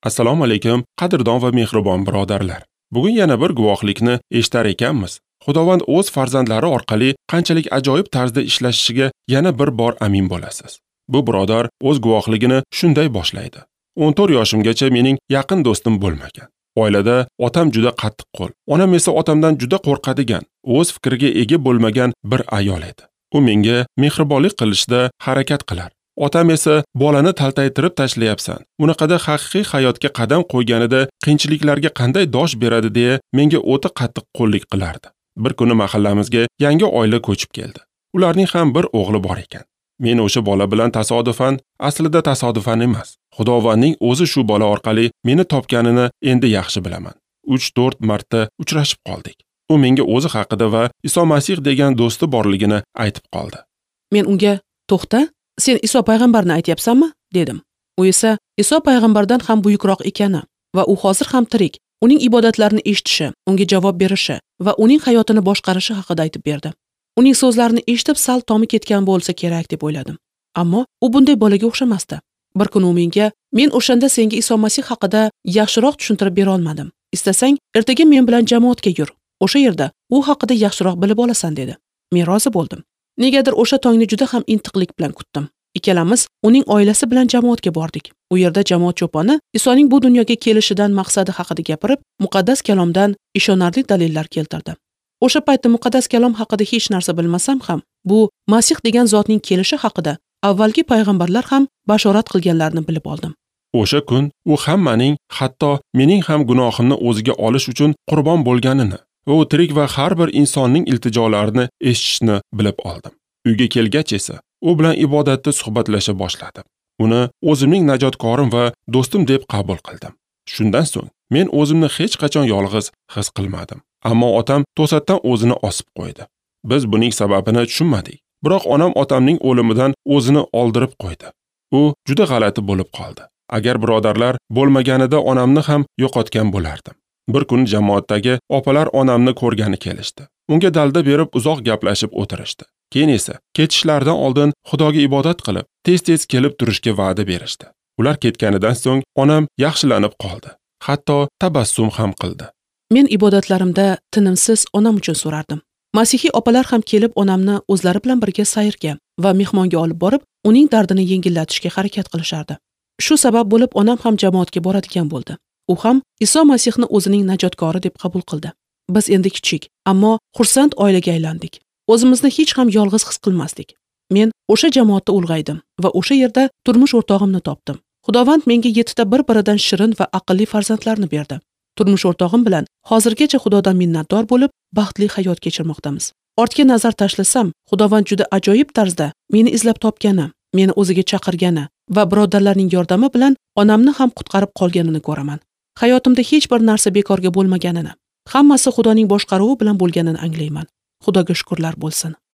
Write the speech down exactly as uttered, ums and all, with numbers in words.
Assalomu alaykum, qadrdon va mehribon birodarlar. Bugun yana bir guvohlikni eshitar ekanmiz. Xudovand o'z farzandlari orqali qanchalik ajoyib tarzda ishlashishiga yana bir bor amin bo'lasiz. Bu birodar o'z guvohligini shunday boshlaydi. o'n to'rt yoshimgacha mening yaqin do'stim bo'lmagan. Oilada otam juda qattiqqo'l, onam esa otamdan juda qo'rqadigan, o'z fikriga ega bo'lmagan bir ayol edi. U menga mehribonlik qilishda harakat qilar. Otam esa bolani taltaytirib tashlayapsan, unaqada haqiqiy hayotga qadam qo'yganida qiyinchiliklarga qanday dosh beradi deya menga o'ta qattiqqo'llik qilardi. Bir kuni mahallamizga yangi oila ko'chib keldi. Ularning ham bir o'g'li bor ekan. Men o'sha bola bilan tasodifan, aslida tasodifan emas, Xudovandning o'zi shu bola orqali meni topganini endi yaxshi bilaman. uch to'rt marta uchrashib qoldik. U menga o'zi haqida va Iso Masih degan do'sti borligini aytib qoldi. Men unga, "To'xta, sen Iso payg'ambarni aytyapsanmi?" dedim. U esa Iso payg'ambardan ham buyukroq ekani va u hozir ham tirik, uning ibodatlarini eshitishi, unga javob berishi va uning hayotini boshqarishi haqida aytib berdi. Uning so'zlarini eshitib sal tomi ketgan bo'lsa kerak deb o'yladim. Ammo u bunday bolaga o'xshamasdi. Bir kuni u menga, "Men o'shanda senga Iso Masih haqida yaxshiroq tushuntirib bera olmadim. Istasang, ertaga men bilan jamoatga yur. O'sha yerda u haqida yaxshiroq bilib olasan" dedi. Men rozi bo'ldim. Negadir o'sha tongni juda ham intiqlik bilan kutdim. Ikkalamiz uning oilasi bilan jamoatga bordik. U yerda jamoat cho'poni Isoning bu dunyoga kelishidan maqsadi haqida gapirib, muqaddas kalomdan ishonarli dalillar keltirdi. O'sha paytda muqaddas kalom haqida hech narsa bilmasam ham, bu Masih degan zotning kelishi haqida avvalgi payg'ambarlar ham bashorat qilganlarini bilib oldim. O'sha kun u hammaning, hatto mening ham gunohimni o'ziga olish uchun qurbon bo'lganini va u tirik va har bir insonning iltijolarini eshitishni bilib oldim. Uyga kelgach esa u bilan ibodatda suhbatlasha boshladim. Uni o'zimning najotkorim va do'stim deb qabul qildim. Shundan so'ng men o'zimni hech qachon yolg'iz his qilmadim. Ammo otam to'satdan o'zini osib qo'ydi. Biz buning sababini tushunmadik. Biroq onam otamning o'limidan o'zini oldirib qo'ydi. U juda g'alati bo'lib qoldi. Agar birodarlar bo'lmaganida onamni ham yo'qotgan bo'lardim. Bir kuni jamoatdagi opalar onamni ko'rgani kelishdi. Unga dalda berib uzoq gaplashib o'tirishdi. Keyin esa ketishlaridan oldin Xudoga ibodat qilib, tez-tez kelib turishga va'da berishdi. Ular ketganidan so'ng onam yaxshilanib qoldi. Hatto tabassum ham qildi. Men ibodatlarimda tinimsiz onam uchun so'rardim. Masihiy opalar ham kelib onamni o'zlari bilan birga sayrga va mehmonga olib borib, uning dardini yengillatishga harakat qilishardi. Shu sabab bo'lib onam ham jamoatga boradigan bo'ldi. U ham Iso Masihni o'zining najotkori deb qabul qildi. Biz endi kichik, ammo xursand oilaga aylandik. O'zimizni hech ham yolg'iz his qilmasdik. Men o'sha jamoatda ulg'aydim va o'sha yerda turmush o'rtog'imni topdim. Xudovand menga yettita bir-biridan shirin va aqlli farzandlarni berdi. Turmush o'rtog'im bilan hozirgacha Xudodan minnatdor bo'lib, baxtli hayot kechirmoqdamiz. Ortga nazar tashlasam, Xudovand juda ajoyib tarzda meni izlab topgani, meni o'ziga chaqirgani va birodarlarning yordami bilan onamni ham qutqarib qolganini ko'raman. Hayotimda hech bir narsa bekorga bo'lmaganini, hammasi Xudoning boshqaruvi bilan bo'lganini anglayman. Xudoga shukrlar bo'lsin.